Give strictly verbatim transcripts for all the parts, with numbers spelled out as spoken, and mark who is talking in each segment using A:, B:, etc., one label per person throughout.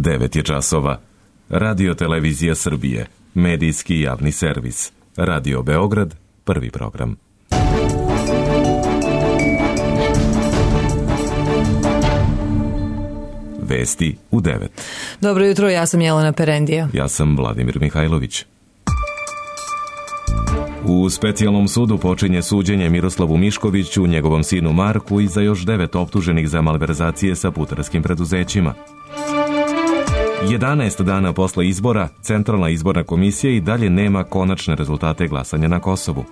A: devet je časova. Radio Televizija Srbije, medijski javni servis. Radio Beograd, prvi program. Vesti u devet.
B: Dobro jutro, ja sam Jelena Perendija.
A: Ja sam Vladimir Mihajlović. U specijalnom sudu počinje suđenje Miroslavu Miškoviću, njegovom sinu Marku i za još devet optuženih za malverzacije sa putarskim preduzećima. jedanaest dana posle izbora, Centralna izborna komisija i dalje nema konačne rezultate glasanja na Kosovu.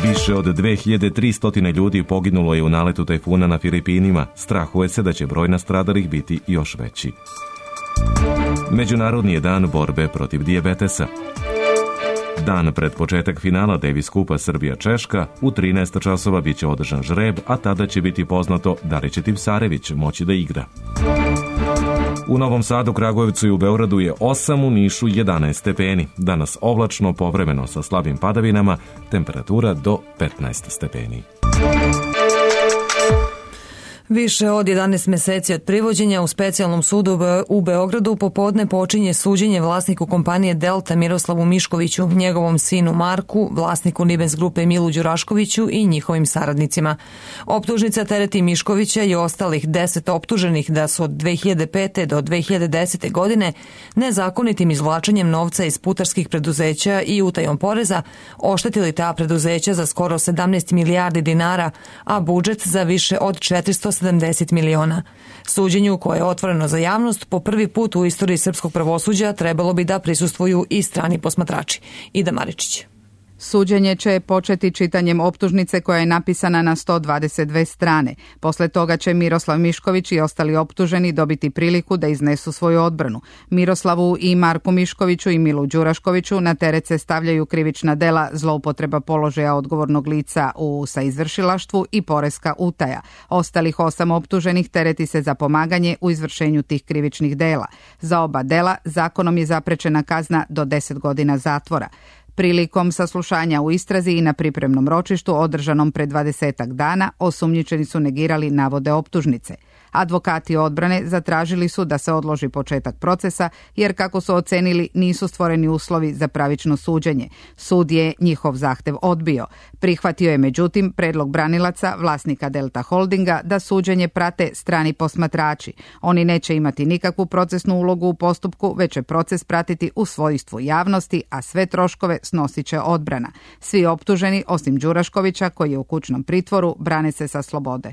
A: Više od dve hiljade tristo ljudi poginulo je u naletu tajfuna na Filipinima. Strahuje se da će broj nastradalih biti još veći. Međunarodni je dan borbe protiv dijabetesa. Dan pred početak finala Davis Kupa Srbija-Češka, u trinaest časova biće održan žreb, a tada će biti poznato da li će Tipsarević moći da igra. U Novom Sadu, Kragujevcu i u Beogradu je osam, u Nišu jedanaest stepeni. Danas oblačno, povremeno sa slabim padavinama, temperatura do petnaest stepeni.
B: Više od jedanaest meseci od privođenja u specijalnom sudu u Beogradu popodne počinje suđenje vlasniku kompanije Delta Miroslavu Miškoviću, njegovom sinu Marku, vlasniku Nibens grupe Milu Đuraškoviću i njihovim saradnicima. Optužnica tereti Miškovića i ostalih deset optuženih da su od dve hiljade pete do dve hiljade desete godine nezakonitim izvlačenjem novca iz putarskih preduzeća i utajom poreza oštetili ta preduzeća za skoro sedamnaest milijardi dinara, a budžet za više od četiristo sedamdeset miliona. Suđenju, koje je otvoreno za javnost, po prvi put u istoriji srpskog pravosuđa trebalo bi da prisustvuju i strani posmatrači. Ida Maričić.
C: Suđenje će početi čitanjem optužnice koja je napisana na sto dvadeset dve strane. Posle toga će Miroslav Mišković i ostali optuženi dobiti priliku da iznesu svoju odbranu. Miroslavu i Marku Miškoviću i Milu Đuraškoviću na teret se stavljaju krivična dela zloupotreba položaja odgovornog lica u saizvršilaštvu i poreska utaja. Ostalih osam optuženih tereti se za pomaganje u izvršenju tih krivičnih dela. Za oba dela zakonom je zaprečena kazna do deset godina zatvora. Prilikom saslušanja u istrazi i na pripremnom ročištu održanom pre dvadesetak dana, osumnjičeni su negirali navode optužnice. Advokati odbrane zatražili su da se odloži početak procesa, jer kako su ocenili nisu stvoreni uslovi za pravično suđenje. Sud je njihov zahtev odbio. Prihvatio je međutim predlog branilaca, vlasnika Delta Holdinga, da suđenje prate strani posmatrači. Oni neće imati nikakvu procesnu ulogu u postupku, već će proces pratiti u svojstvu javnosti, a sve troškove snosit će odbrana. Svi optuženi, osim Đuraškovića, koji je u kućnom pritvoru, brane se sa slobode.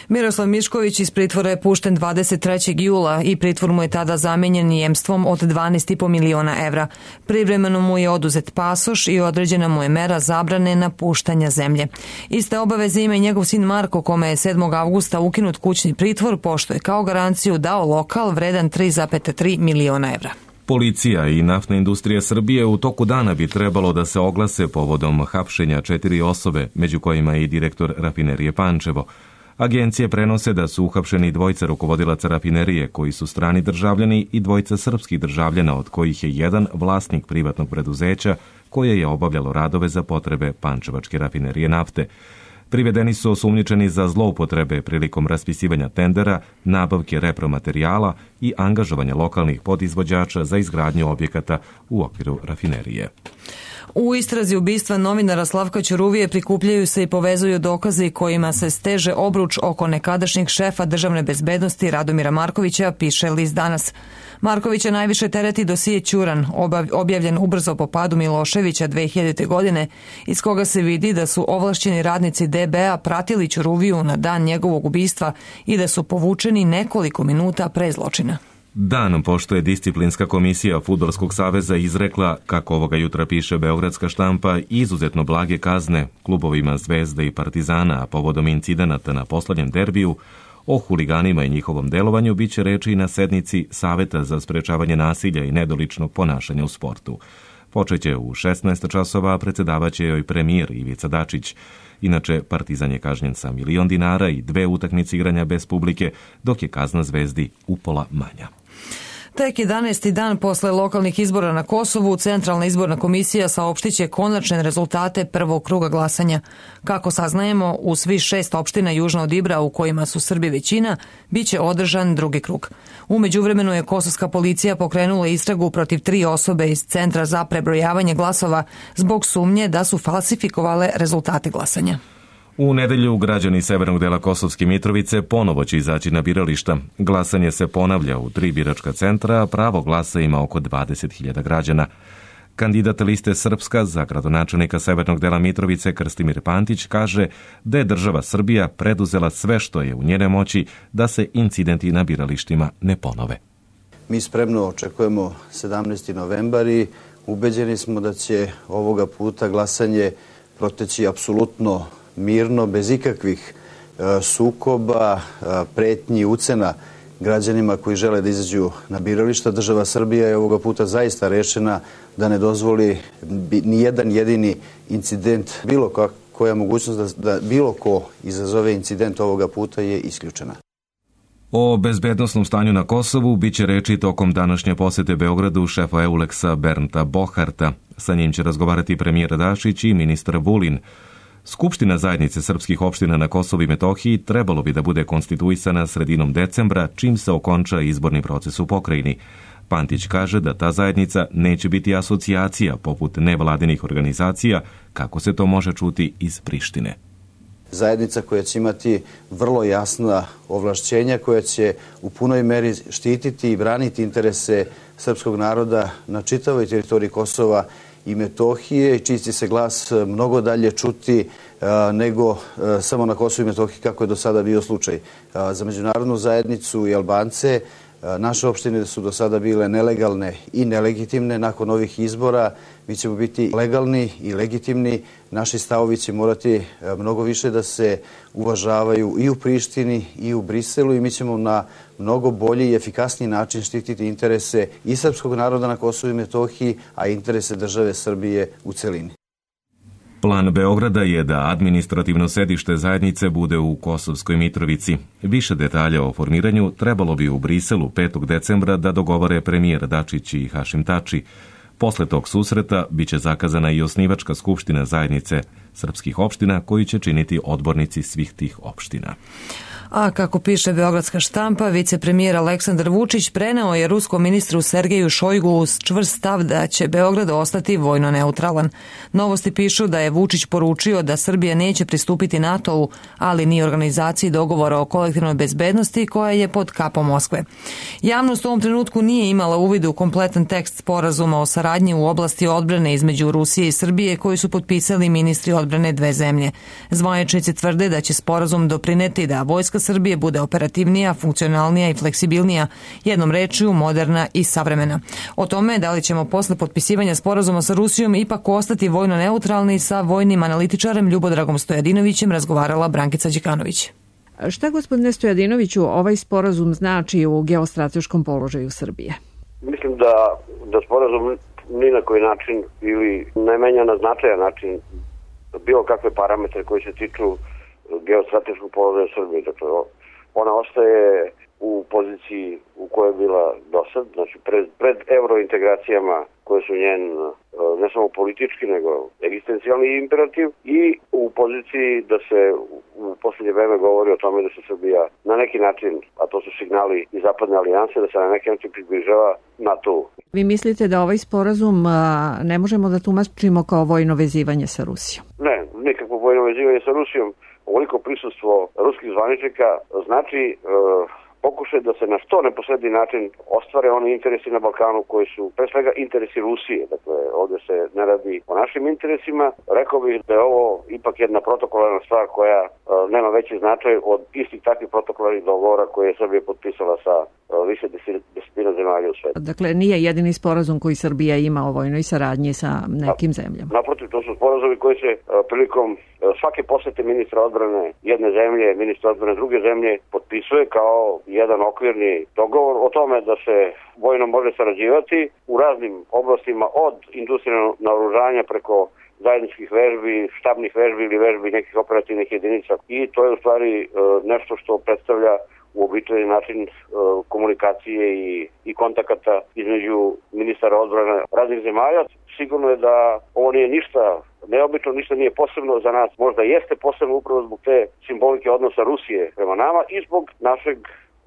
B: Miroslav Mišković iz pritvora je pušten dvadeset trećeg jula i pritvor mu je tada zamenjen jemstvom od dvanaest i po miliona evra. Privremeno mu je oduzet pasoš i određena mu je mera zabrane napuštanja zemlje. Iste obaveze ima i njegov sin Marko, kome je sedmog avgusta ukinut kućni pritvor, pošto je kao garanciju dao lokal vredan tri zarez tri miliona evra.
A: Policija i Naftna industrija Srbije u toku dana bi trebalo da se oglase povodom hapšenja četiri osobe, među kojima je i direktor rafinerije Pančevo. Agencije prenose da su uhapšeni dvojica rukovodilaca rafinerije koji su strani državljani i dvojica srpskih državljana, od kojih je jedan vlasnik privatnog preduzeća koje je obavljalo radove za potrebe Pančevačke rafinerije nafte. Privedeni su osumnjičeni za zloupotrebe prilikom raspisivanja tendera, nabavke repromaterijala i angažovanja lokalnih podizvođača za izgradnju objekata u okviru rafinerije.
B: U istrazi ubistva novinara Slavka Ćuruvije prikupljaju se i povezuju dokazi kojima se steže obruč oko nekadašnjeg šefa državne bezbednosti Radomira Markovića, piše list Danas. Markovića najviše tereti dosije Ćuran, objavljen ubrzo po padu Miloševića dve hiljadite. godine, iz koga se vidi da su ovlašćeni radnici D B A pratili Ćuruviju na dan njegovog ubistva i da su povučeni nekoliko minuta pre zločina.
A: Dan pošto je disciplinska komisija Fudbalskog saveza izrekla, kako ovoga jutra piše beogradska štampa, izuzetno blage kazne klubovima Zvezde i Partizana, a povodom incidenata na poslednjem derbiju, o huliganima i njihovom delovanju biće reči i na sednici Saveta za sprečavanje nasilja i nedoličnog ponašanja u sportu. Počeće u šesnaest časova, a predsedavaće joj premijer Ivica Dačić. Inače, Partizan je kažnjen sa milion dinara i dve utakmice igranja bez publike, dok je kazna Zvezdi upola manja.
B: Tek jedanaesti dan posle lokalnih izbora na Kosovu, Centralna izborna komisija saopštiće konačne rezultate prvog kruga glasanja. Kako saznajemo, u svih šest opština južno od Ibra u kojima su Srbi većina, biće održan drugi krug. U međuvremenu je kosovska policija pokrenula istragu protiv tri osobe iz Centra za prebrojavanje glasova zbog sumnje da su falsifikovale rezultate glasanja.
A: U nedelju građani severnog dela Kosovske Mitrovice ponovo će izaći na birališta. Glasanje se ponavlja u tri biračka centra, a pravo glasa ima oko dvadeset hiljada građana. Kandidat liste Srpska za gradonačelnika severnog dela Mitrovice Krstimir Pantić kaže da je država Srbija preduzela sve što je u njene moći da se incidenti na biralištima ne ponove.
D: Mi spremno očekujemo sedamnaesti novembar i ubeđeni smo da će ovoga puta glasanje proteći apsolutno mirno, bez ikakvih e, sukoba, e, pretnji, ucena građanima koji žele da izađu na birališta. Država Srbija je ovoga puta zaista rešena da ne dozvoli ni jedan jedini incident, bilo koja mogućnost da, da bilo ko izazove incident ovoga puta je isključena.
A: O bezbednosnom stanju na Kosovu biće reči tokom današnje posete Beogradu šefa Euleksa Bernta Boharta. Sa njim će razgovarati premijer Dačić i ministar Vulin. Skupština zajednice srpskih opština na Kosovu i Metohiji trebalo bi da bude konstituisana sredinom decembra, čim se okonča izborni proces u pokrajini. Pantić kaže da ta zajednica neće biti asocijacija poput nevladinih organizacija, kako se to može čuti iz Prištine.
D: Zajednica koja će imati vrlo jasna ovlašćenja, koja će u punoj meri štititi i braniti interese srpskog naroda na čitavoj teritoriji Kosova i Metohije, i čiji će se glas mnogo dalje čuti a, nego a, samo na Kosovu i Metohiji, kako je do sada bio slučaj. A, za međunarodnu zajednicu i Albance a, naše opštine su do sada bile nelegalne i nelegitimne. Nakon ovih izbora mi ćemo biti legalni i legitimni. Naši stavovi će morati a, mnogo više da se uvažavaju i u Prištini i u Briselu, i mi ćemo na mnogo bolji i efikasniji način štititi interese i srpskog naroda na Kosovu i Metohiji, a interese države Srbije u celini.
A: Plan Beograda je da administrativno sedište zajednice bude u Kosovskoj Mitrovici. Više detalja o formiranju trebalo bi u Briselu petog decembra da dogovore premijer Dačić i Hašim Tači. Posle tog susreta biće zakazana i osnivačka skupština zajednice srpskih opština, koju će činiti odbornici svih tih opština.
B: A kako piše beogradska štampa, vicepremijer Aleksandar Vučić preneo je ruskom ministru Sergeju Šojgu uz čvrst stav da će Beograd ostati vojno neutralan. Novosti pišu da je Vučić poručio da Srbija neće pristupiti NATO-u, ali ni organizaciji dogovora o kolektivnoj bezbednosti koja je pod kapom Moskve. Javnost u ovom trenutku nije imala uvid u kompletan tekst sporazuma o saradnji u oblasti odbrane između Rusije i Srbije koji su potpisali ministri odbrane dve zemlje. Zvaničnici tvrde da će sporazum doprineti da vojska Srbije bude operativnija, funkcionalnija i fleksibilnija, jednom rečju moderna i savremena. O tome da li ćemo posle potpisivanja sporazuma sa Rusijom ipak ostati vojno neutralni, sa vojnim analitičarem Ljubodragom Stojadinovićem razgovarala Brankica Đikanović.
E: Šta, gospodine Stojadinoviću, ovaj sporazum znači u geostrateškom položaju Srbije?
F: Mislim da, da sporazum ni na koji način ili ne menja na značajan način bilo kakve parametre koji se tiču geostrateškog položaja Srbije. Dakle, ona ostaje u poziciji u kojoj je bila dosad, znači pred, pred eurointegracijama koje su njen ne samo politički nego egzistencijalni imperativ, i u poziciji da se u posljednje vreme govori o tome da se Srbija na neki način, a to su signali iz zapadne alijanse, da se na neki način približava NATO.
E: Vi mislite da ovaj sporazum a, ne možemo da tumačimo kao vojno vezivanje sa Rusijom?
F: Ne, nikakvo vojno vezivanje sa Rusijom. Ovoliko prisustvo ruskih zvaničnika znači e, pokušaj da se na što neposredni način ostvare oni interesi na Balkanu koji su pre svega interesi Rusije. Dakle, ovdje se ne radi o našim interesima. Rekao bih da je ovo ipak jedna protokolarna stvar koja e, nema veći značaj od istih takvih protokolarnih dogovora koje je Srbija potpisala sa e, više desetina zemalja u svijetu.
E: Dakle, nije jedini sporazum koji Srbija ima o vojnoj saradnji sa nekim zemljama.
F: Naprotiv, to su sporazumi koji se e, prilikom e, svake posete ministra odbrane jedne zemlje, ministra odbrane druge zemlje potpisuje kao jedan okvirni dogovor o tome da se vojno može sarađivati u raznim oblastima, od industrijalnog naoružanja preko zajedničkih vežbi, štabnih vežbi ili vežbi nekih operativnih jedinica. I to je u stvari nešto što predstavlja uobičajeni način uh, komunikacije i, i kontakata između ministara odbrane raznih zemalja. Sigurno je da ovo nije ništa neobično, ništa nije posebno za nas. Možda jeste posebno upravo zbog te simbolike odnosa Rusije prema nama i zbog našeg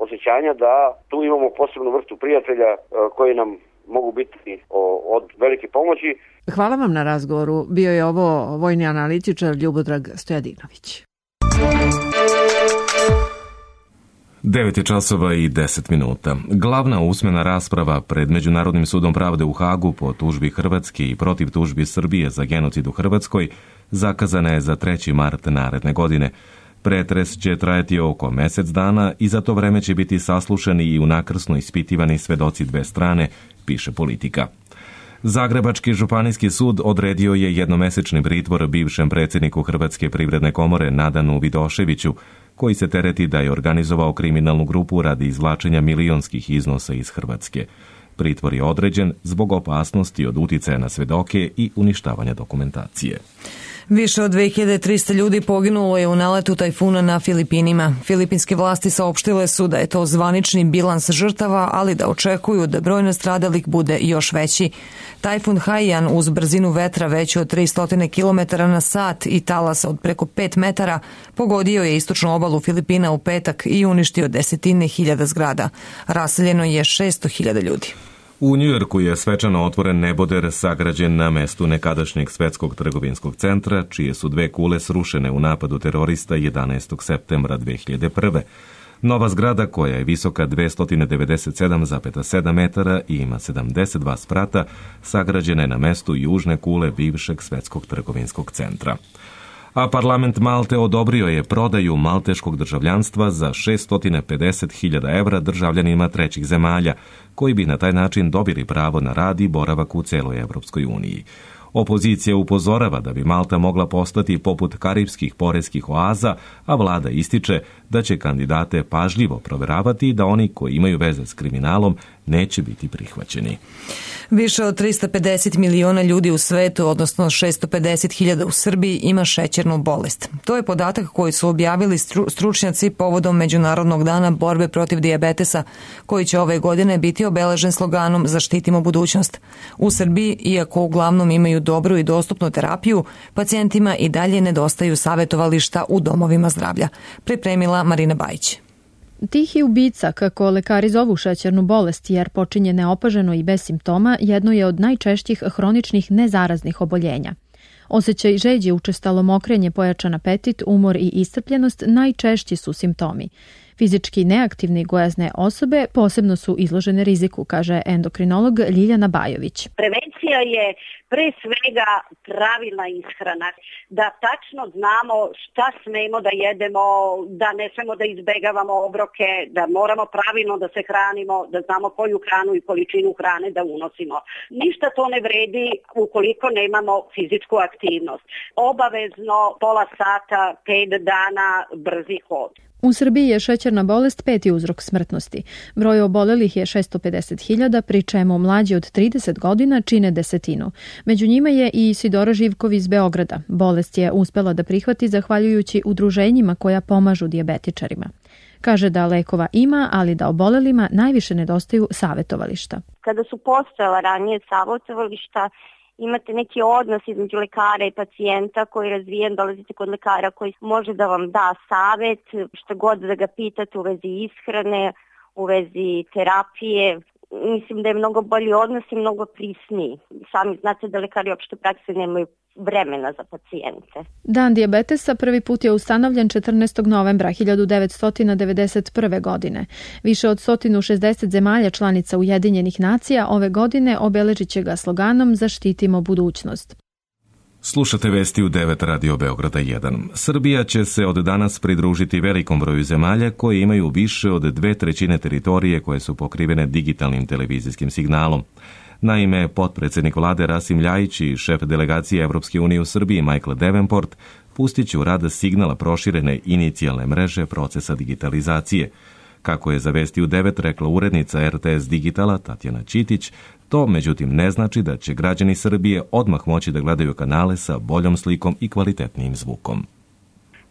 F: osjećanja da tu imamo posebnu vrstu prijatelja uh, koji nam mogu biti o, od velike pomoći.
E: Hvala vam na razgovoru. Bio je ovo vojni analitičar Ljubodrag Stojadinović.
A: devet je časova i deset minuta. Glavna usmena rasprava pred Međunarodnim sudom pravde u Hagu po tužbi Hrvatske i protiv tužbi Srbije za genocid u Hrvatskoj zakazana je za treći mart naredne godine. Pretres će trajati oko mesec dana i za to vreme će biti saslušani i unakrsno ispitivani svedoci dve strane, piše Politika. Zagrebački županijski sud odredio je jednomesečni pritvor bivšem predsjedniku Hrvatske privredne komore Nadanu Vidoševiću, koji se tereti da je organizovao kriminalnu grupu radi izvlačenja milionskih iznosa iz Hrvatske. Pritvor je određen zbog opasnosti od uticaja na svedoke i uništavanja dokumentacije.
B: Više od dve hiljade trista ljudi poginulo je u naletu tajfuna na Filipinima. Filipinske vlasti saopštile su da je to zvanični bilans žrtava, ali da očekuju da broj nastradalih bude još veći. Tajfun Haiyan uz brzinu vetra veću od tristo kilometara na sat i talasa od preko pet metara pogodio je istočnu obalu Filipina u petak i uništio desetine hiljada zgrada. Raseljeno je šesto hiljada ljudi.
A: U Njujorku je svečano otvoren neboder sagrađen na mestu nekadašnjeg svetskog trgovinskog centra, čije su dve kule srušene u napadu terorista jedanaestog septembra dve hiljade prve. Nova zgrada, koja je visoka dvesta devedeset sedam zarez sedam metara i ima sedamdeset dva sprata, sagrađena je na mestu južne kule bivšeg svetskog trgovinskog centra. A parlament Malte odobrio je prodaju malteškog državljanstva za šesto pedeset hiljada evra državljanima trećih zemalja, koji bi na taj način dobili pravo na rad i boravak u celoj Evropskoj uniji. Opozicija upozorava da bi Malta mogla postati poput karipskih poreskih oaza, a vlada ističe da će kandidate pažljivo proveravati i da oni koji imaju veze s kriminalom neće biti prihvaćeni.
B: Više od trista pedeset miliona ljudi u svetu, odnosno šesto pedeset hiljada u Srbiji, ima šećernu bolest. To je podatak koji su objavili stručnjaci povodom Međunarodnog dana borbe protiv dijabetesa, koji će ove godine biti obeležen sloganom Zaštitimo budućnost. U Srbiji, iako uglavnom imaju dobru i dostupnu terapiju, pacijentima i dalje nedostaju savjetovališta u domovima zdravlja. Pripremila Marina Bajić.
G: Tihi ubica, kako lekari zovu šećernu bolest jer počinje neopaženo i bez simptoma, jedno je od najčešćih hroničnih nezaraznih oboljenja. Osjećaj žeđe, učestalo mokrenje, pojačan apetit, umor i iscrpljenost najčešći su simptomi. Fizički neaktivne i gojazne osobe posebno su izložene riziku, kaže endokrinolog Ljiljana Bajović.
H: Prevencija je pre svega pravilna ishrana, da tačno znamo šta smemo da jedemo, da ne smemo da izbegavamo obroke, da moramo pravilno da se hranimo, da znamo koju hranu i količinu hrane da unosimo. Ništa to ne vredi ukoliko nemamo fizičku aktivnost. Obavezno pola sata, pet dana, brzi hod.
G: U Srbiji je šećerna bolest peti uzrok smrtnosti. Broj obolelih je šesto pedeset hiljada, pri čemu mlađi od trideset godina čine desetinu. Među njima je i Isidora Živkov iz Beograda. Bolest je uspela da prihvati zahvaljujući udruženjima koja pomažu dijabetičarima. Kaže da lekova ima, ali da obolelima najviše nedostaju savjetovališta.
I: Kada su postojala ranije savjetovališta, imate neki odnos između lekara i pacijenta koji je razvijen, dolazite kod lekara koji može da vam da savjet, što god da ga pitate u vezi ishrane, u vezi terapije. Mislim da je mnogo bolji odnos i mnogo prisniji. Sami znate da lekari opšte prakse nemaju vremena za pacijente.
G: Dan dijabetesa prvi put je ustanovljen četrnaestog novembra hiljadu devetsto devedeset prve. godine. Više od sto šezdeset zemalja članica Ujedinjenih nacija ove godine obeležit će ga sloganom Zaštitimo budućnost.
A: Slušate vesti u devet Radio Beograda jedan. Srbija će se od danas pridružiti velikom broju zemalja koje imaju više od dve trećine teritorije koje su pokrivene digitalnim televizijskim signalom. Naime, potpredsjednik vlade Rasim Ljajić i šef delegacije Evropske unije u Srbiji Michael Davenport pustit će u rad signala proširene inicijalne mreže procesa digitalizacije. Kako je za Vesti u devet rekla urednica er te es Digitala Tatjana Ćitić, to međutim ne znači da će građani Srbije odmah moći da gledaju kanale sa boljom slikom i kvalitetnijim zvukom.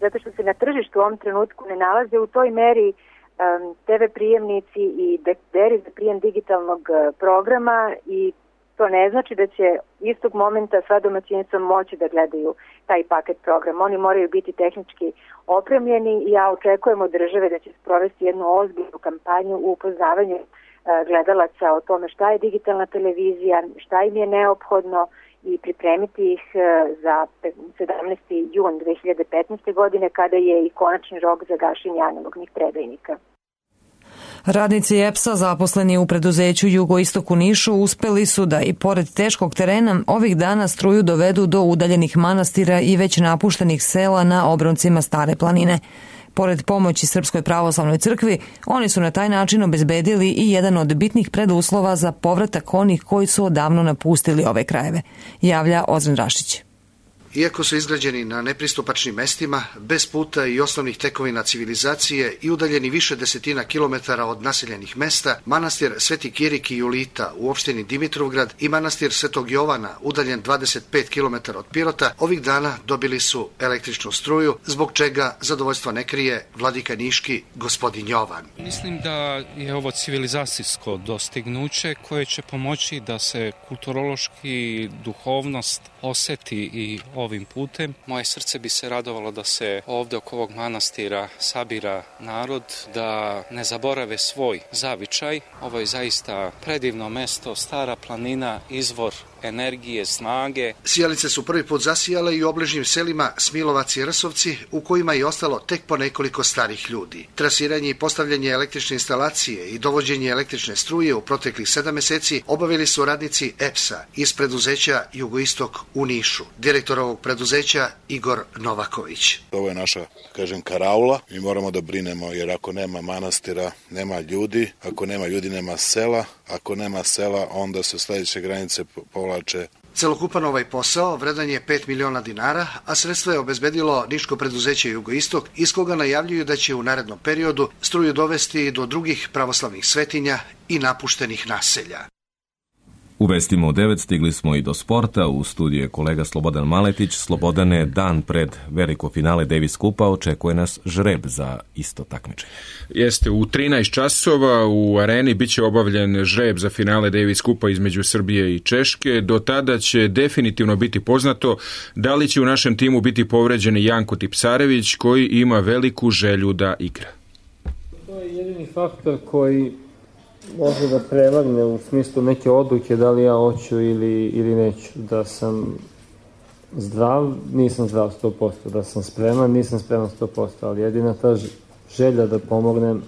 J: Zato što se na tržištu u ovom trenutku ne nalaze u toj meri te ve prijemnici i dekoderi za prijem digitalnog programa i to ne znači da će istog momenta sva domaćinstva moći da gledaju taj paket programa. Oni moraju biti tehnički opremljeni i ja očekujem od države da će sprovesti jednu ozbiljnu kampanju u upoznavanju gledalaca o tome šta je digitalna televizija, šta im je neophodno i pripremiti ih za sedamnaesti jun dve hiljade petnaeste. godine kada je i konačni rok za gašenje analognih predajnika.
B: Radnici E P S-a zaposleni u preduzeću Jugoistok u Nišu uspeli su da i pored teškog terena ovih dana struju dovedu do udaljenih manastira i već napuštenih sela na obroncima Stare planine. Pored pomoći Srpskoj pravoslavnoj crkvi, oni su na taj način obezbedili i jedan od bitnih preduslova za povratak onih koji su odavno napustili ove krajeve, javlja Ozren Rašić.
K: Iako su izgrađeni na nepristupačnim mestima, bez puta i osnovnih tekovina civilizacije i udaljeni više desetina kilometara od naseljenih mesta, manastir Sveti Kirik i Julita u opštini Dimitrovgrad i manastir Svetog Jovana, udaljen dvadeset pet kilometara od Pirota, ovih dana dobili su električnu struju, zbog čega zadovoljstva ne krije vladika niški gospodin Jovan.
L: Mislim da je ovo civilizacijsko dostignuće koje će pomoći da se kulturološki duhovnost oseti i ovim putem. Moje srce bi se radovalo da se ovde oko ovog manastira sabira narod, da ne zaborave svoj zavičaj. Ovo je zaista predivno mesto, Stara planina, izvor energije, snage.
K: Sijalice su prvi put zasijale i u obližnjim selima Smilovac i Rsovci, u kojima je ostalo tek po nekoliko starih ljudi. Trasiranje i postavljanje električne instalacije i dovođenje električne struje u proteklih sedam meseci obavili su radnici E P S-a iz preduzeća Jugoistok u Nišu. Direktor ovog preduzeća Igor Novaković.
M: Ovo je naša, kažem, karaula. Mi moramo da brinemo, jer ako nema manastira, nema ljudi. Ako nema ljudi, nema sela. Ako nema sela, onda se sledeće granice povlače.
K: Celokupan ovaj posao vredan je pet miliona dinara, a sredstvo je obezbedilo niško preduzeće Jugoistok, iz koga najavljuju da će u narednom periodu struju dovesti do drugih pravoslavnih svetinja i napuštenih naselja.
A: U vestima u devet stigli smo i do sporta. U studiju je kolega Slobodan Maletić. Slobodane, dan pred veliko finale Davis Kupa očekuje nas žreb za isto takmičenje.
N: Jeste, u trinaest časova u areni biće obavljen žreb za finale Davis Kupa između Srbije i Češke. Do tada će definitivno biti poznato da li će u našem timu biti povređen Janko Tipsarević, koji ima veliku želju da igra.
O: To je jedini faktor koji može da prevagne u smislu neke odluke da li ja hoću ili, ili neću. Da sam zdrav, nisam zdrav sto posto. Da sam spreman, nisam spreman sto posto. Ali jedina ta želja da pomognem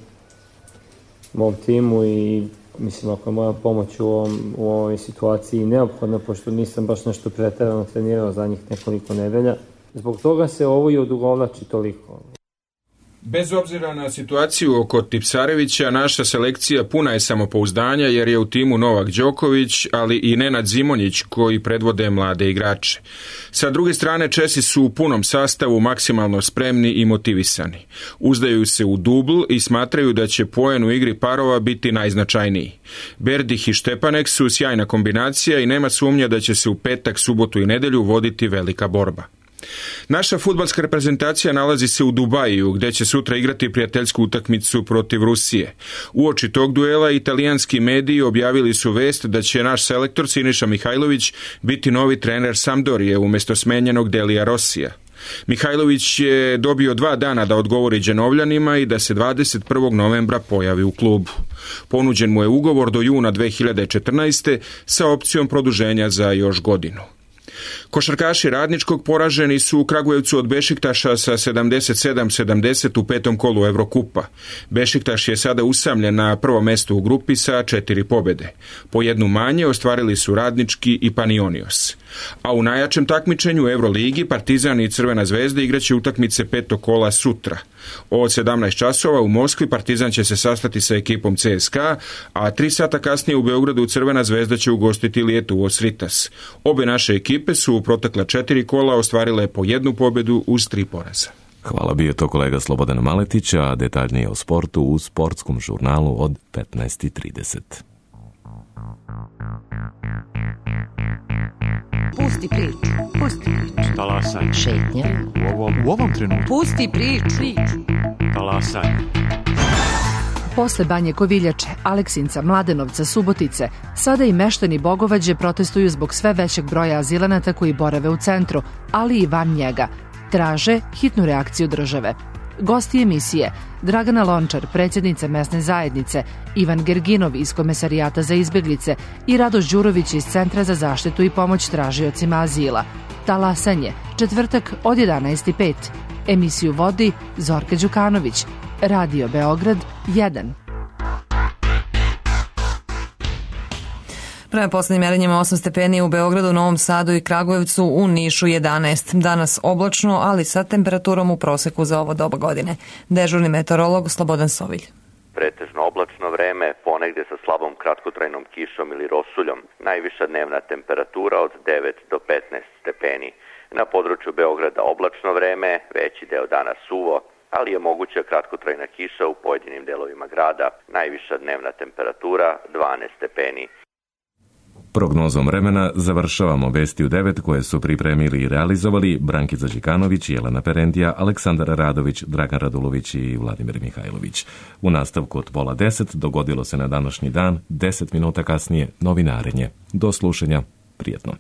O: mom timu i mislim ako je moja pomoć u, ovom, u ovoj situaciji neophodna, pošto nisam baš nešto preterano trenirao za njih nekoliko nedelja. Zbog toga se ovo i odugovlači toliko.
N: Bez obzira na situaciju oko Tipsarevića, naša selekcija puna je samopouzdanja jer je u timu Novak Đoković, ali i Nenad Zimonjić koji predvode mlade igrače. Sa druge strane, Česi su u punom sastavu maksimalno spremni i motivisani. Uzdaju se u dubl i smatraju da će poen u igri parova biti najznačajniji. Berdih i Štepanek su sjajna kombinacija i nema sumnja da će se u petak, subotu i nedelju voditi velika borba. Naša fudbalska reprezentacija nalazi se u Dubaju, gde će sutra igrati prijateljsku utakmicu protiv Rusije. Uoči tog duela italijanski mediji objavili su vest da će naš selektor Siniša Mihajlović biti novi trener Sampdorije umjesto smenjenog Delija Rosija. Mihajlović je dobio dva dana da odgovori Đenovljanima i da se dvadeset prvog novembra pojavi u klubu. Ponuđen mu je ugovor do juna dve hiljade četrnaeste. sa opcijom produženja za još godinu. Košarkaši Radničkog poraženi su u Kragujevcu od Bešiktaša sa sedamdeset sedam sedamdeset u petom kolu Evrokupa. Bešiktaš je sada usamljen na prvo mesto u grupi sa četiri pobede. Po jednu manje ostvarili su Radnički i Panionios. A u najjačem takmičenju u Euroligi Partizan i Crvena zvezda igraće utakmice petog kola sutra. Od sedamnaest časova u Moskvi Partizan će se sastati sa ekipom C S K A, a tri sata kasnije u Beogradu Crvena zvezda će ugostiti Lietuvo Sritas. Obe naše ekipe su u protekla četiri kola ostvarile po jednu pobedu uz tri poraza.
A: Hvala, bio je to kolega Slobodan Maletić, a detaljnije o sportu u sportskom žurnalu od petnaest i trideset.
P: Pusti priču, pusti priču.
Q: Talasaj.
P: Šetnja.
Q: U ovom, u ovom trenutku.
P: Pusti priču.
Q: Talasaj. Posle Banje Koviljače, Aleksinca, Mladenovca, Subotice, sada i meštani Bogovađe protestuju zbog sve većeg broja azilanata koji borave u centru, ali i van njega. Traže hitnu reakciju države. Gosti emisije: Dragana Lončar, predsjednica mesne zajednice, Ivan Gerginov iz Komesarijata za izbjeglice i Radoš Đurović iz Centra za zaštitu i pomoć tražiocima azila. Talasanje, četvrtak od jedanaest i pet. Emisiju vodi Zorka Đukanović. Radio Beograd jedan.
B: Prema poslednjim merenjima osam stepeni u Beogradu, Novom Sadu i Kragujevcu, u Nišu jedanaest. Danas oblačno, ali sa temperaturom u proseku za ovo doba godine. Dežurni meteorolog Slobodan Sovilj.
R: Pretežno oblačno vreme, ponegde sa slabom kratkotrajnom kišom ili rosuljom. Najviša dnevna temperatura od devet do petnaest stepeni. Na području Beograda oblačno vreme, veći deo dana suvo, ali je moguća kratkotrajna kiša u pojedinim delovima grada. Najviša dnevna temperatura dvanaest stepeni.
A: Prognozom vremena završavamo vesti u devet koje su pripremili i realizovali Brankica Đikanović, Jelena Perendija, Aleksandar Radović, Dragan Radulović i Vladimir Mihajlović. U nastavku od pola deset dogodilo se na današnji dan, deset minuta kasnije novinarenje. Do slušanja, prijetno.